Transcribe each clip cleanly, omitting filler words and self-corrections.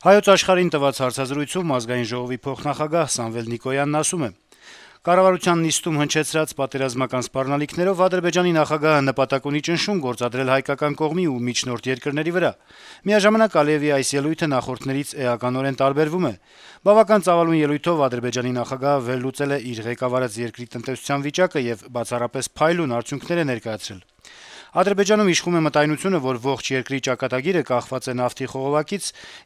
Հայոց աշխարհին տված հարցազրույցում Ազգային ժողովի փոխնախագահ Սամվել Նիկոյանն ասում է. - «Կառավարության նիստում հնչեցրած պատերազմական սպառնալիքներով Ադրբեջանի նախագահը նպատակ ունի ճնշում գործադրել հայկական կողմի ու միջնորդ երկրների վրա: Միաժամանակ Ալիեւի այս ելույթը նախորդներից էականորեն տարբերվում է: Բավական ծավալուն ելույթով Ադրբեջանի նախագահը վերլուծել է իր ղեկավարած երկրի տնտեսության վիճակը եւ բացառապես փայլուն արդյունքներ է ներկայացրել: Ադրբեջանում իշխում է մտայնությունը, որ ողջ երկրի ճակատագիրը կախված է նավթի խողովակից,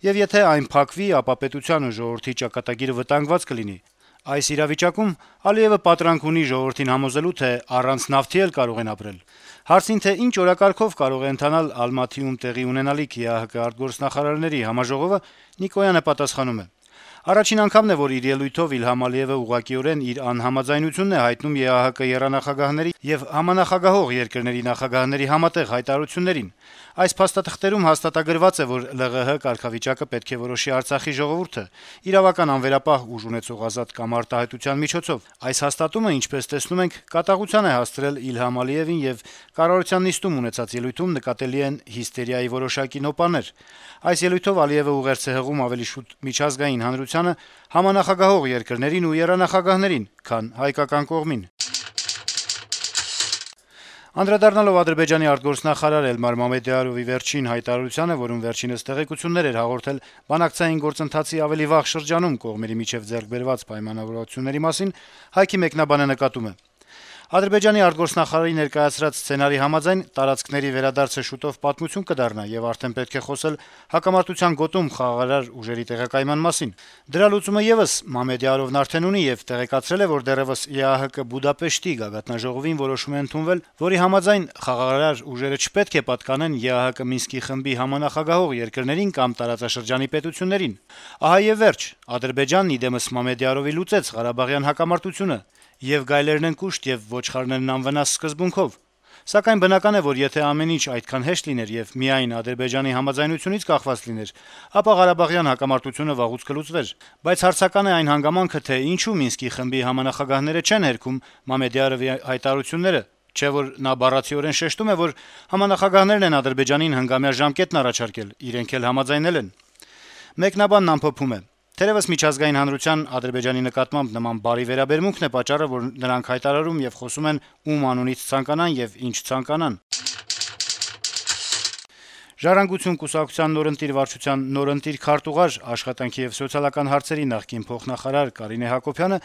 եւ եթե այն փակվի, ապա պետության ու ժողովրդի ճակատագիրը վտանգված կլինի: Այս իրավիճակում Ալիեւը պատրանք ունի ժողովրդին համոզելու, թե առանց նավթի էլ կարող են ապրել»: Հարցին, թե ինչ օրակարգով կարող է ընթանալ Ալմաթիում տեղի ունենալիք ԵԱՀԿ արտգործնախարարների համաժողովը, Նիկոյանը պատասխանում է. - «Առաջին անգամն է, որ իր ելույթով Իլհամ Ալիեւը ուղղակիորեն իր անհամաձայնությունն է հայտնում ԵԱՀԿ եռանախագահների եւ համանախագահող երկրների նախագահների համատեղ հայտարարություններին: Այս փաստաթղթերում հաստատագրված է, որ ԼՂՀ կարգավիճակը պետք է որոշի Արցախի ժողովուրդը՝ իրավական անվերապահ ուժ ունեցող ազատ կամ արտահայտության միջոցով: Այս հաստատումը, ինչպես տեսնում ենք, կատաղության է հասցրել Իլհամ Ալիեւին, եւ կառավարության նիստում ունեցած ելույթում նկատելի են հիստերիայի որոշակի նոպաներ: Այս ելույթով Ալիեւը ուղերձ է հղում ավելի շուտ միջազգային հանրությանը, համանախագահող երկրներին ու եռանախագահներին, քան հայկական կողմին»: Անդրադառնալով Ադրբեջանի արտգործնախարար Էլմար Մամեդյարովի վերջին հայտարարությանը, որում վերջինս տեղեկություններ էր հաղորդել բանակցային գործընթացի ավելի վաղ շրջանում կողմերի միջեւ ձեռք բերված պայմանավորվածությունների մասին, Հայքի մեկնաբանը նկատում է. - «Ադրբեջանի արտգործնախարարի ներկայացրած սցենարի համաձայն տարածքների վերադարձը շուտով պատմություն կդառնա, եւ արդեն պետք է խոսել հակամարտության գոտում խաղաղարար ուժերի տեղակայման մասին: Դրա լուծումը եւս Մամեդյարովն արդեն ունի եւ տեղեկացրել է, որ դեռեւս ԵԱՀԿ Բուդապեշտի գագաթնաժողովին որոշում է ընդունվել, որի համաձայն խաղաղարար ուժերը չպետք է պատկանեն ԵԱՀԿ Մինսկի խմբի համանախագահող երկրներին կամ տարածաշրջանի պետություններին: Ահա եւ վերջ: Ադրբեջանն իդեմս Մամեդյարովի լուծեց Ղարաբաղյան հակամարտությունը, եւ գայլերն են կուշտ եւ ոչխարներն անվնաս սկզբունքով: Սակայն բնական է, որ եթե ամեն ինչ այդքան հեշտ լիներ եւ միայն Ադրբեջանի համաձայնությունից կախված լիներ, ապա Ղարաբաղյան հակամարտությունը վաղուց կլուծվեր: Բայց հարցական է այն հանգամանքը, թե ինչու Մինսկի խմբի համանախագահները չեն հերքում Մամեդյարովի հայտարարությունները, չէ՞ որ նա բառացիորեն շեշտում է, որ համանախագահներն են Ադրբեջանին հնգամյա ժամկետն առաջարկել, իրենք էլ համաձայնել են»: Մեկնաբանն ամփոփում է. - «Թերեւս միջազգային հանրության Ադրբեջանի նկատմամբ նման բարի վերաբերմունքն է պատճառը, որ նրանք հայտարարում եւ խոսում են ում անունից ցանկանան եւ ինչ ցանկանան»: «Ժառանգություն» կուսակցության նորընտիր վարչության նորընտիր քարտուղար, աշխատանքի եւ սոցիալական հարցերի նախկին փոխնախարար Կարինե Հակոբյանը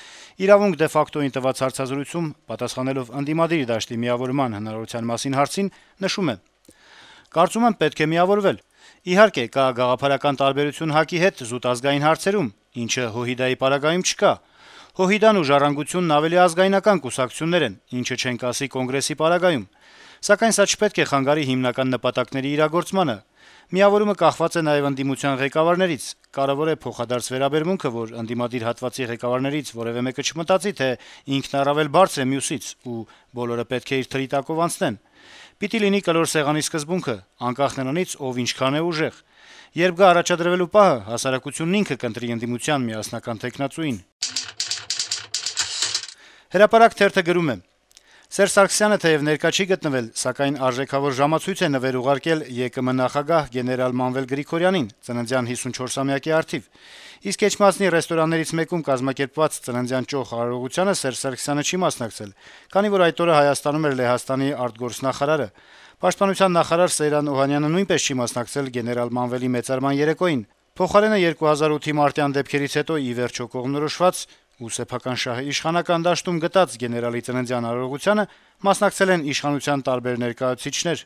«Իրավունք» de facto-ին տված հարցազրույցում, պատասխանելով ընդդիմադիր դաշտի միավորման հնարավորության մասին հարցին, նշում է. - «Կարծում եմ, պետք է միավորվել: Իհարկե, կա գաղափարական տարբերություն ՀԱԿ-ի հետ զուտ ազգային հարցերում, ինչը ՀՅԴ-ի պարագայում չկա: ՀՅԴ-ն ու «Ժառանգությունն» ավելի ազգայնական կուսակցություններ են, ինչը չենք ասի Կոնգրեսի պարագայում: Սակայն սա չպետք է խանգարի հիմնական նպատակների իրագործմանը: Միավորումը կախված է նաեւ ընդդիմության ղեկավարներից: Կարեւոր է փոխադարձ վերաբերմունքը, որ ընդդիմադիր հատվածի ղեկավարներից որեւէ մեկը չմտածի, թե ինքն առավել բարձր է մյուսից, ու բոլորը պետք է իր թրի տակով անցնեն: Պիտի լինի կլոր սեղանի սկզբունքը, անկախ նրանից ով ինչքան է ուժեղ: Երբ գա առաջադրվելու պահը, հասարակությունն ինքը կընտրի ընդդիմության միասնական թեկնածուին»: «Հրապարակ» թերթը գրում է. - «Սերժ Սարգսյանը թեեւ ներկա չի գտնվել, սակայն արժեքավոր ժամացույց է նվեր ուղարկել ԵԿՄ նախագահ գեներալ Մանվել Գրիգորյանին ծննդյան 54-ամյակի առթիվ: Իսկ Էջմիածնի ռեստորաններից մեկում կազմակերպված ծննդյան ճոխ արարողությանը Սերժ Սարգսյանը չի մասնակցել, քանի որ այդ օրը Հայաստանում էր Լեհաստանի արտգործնախարարը: Պաշտպանության նախարար Սեյրան Օհանյանը նույնպես չի մասնակցել գեներալ Մանվելի մեծարման երեկոյին: Փոխարենը 2008-ի մարտյան դեպքերից հետո ի վերջո կողմնորոշված ու սեփական շահը իշխանական դաշտում գտած գեներալի ծննդյան արարողությանը մասնակցել են իշխանության տարբեր ներկայացուցիչներ: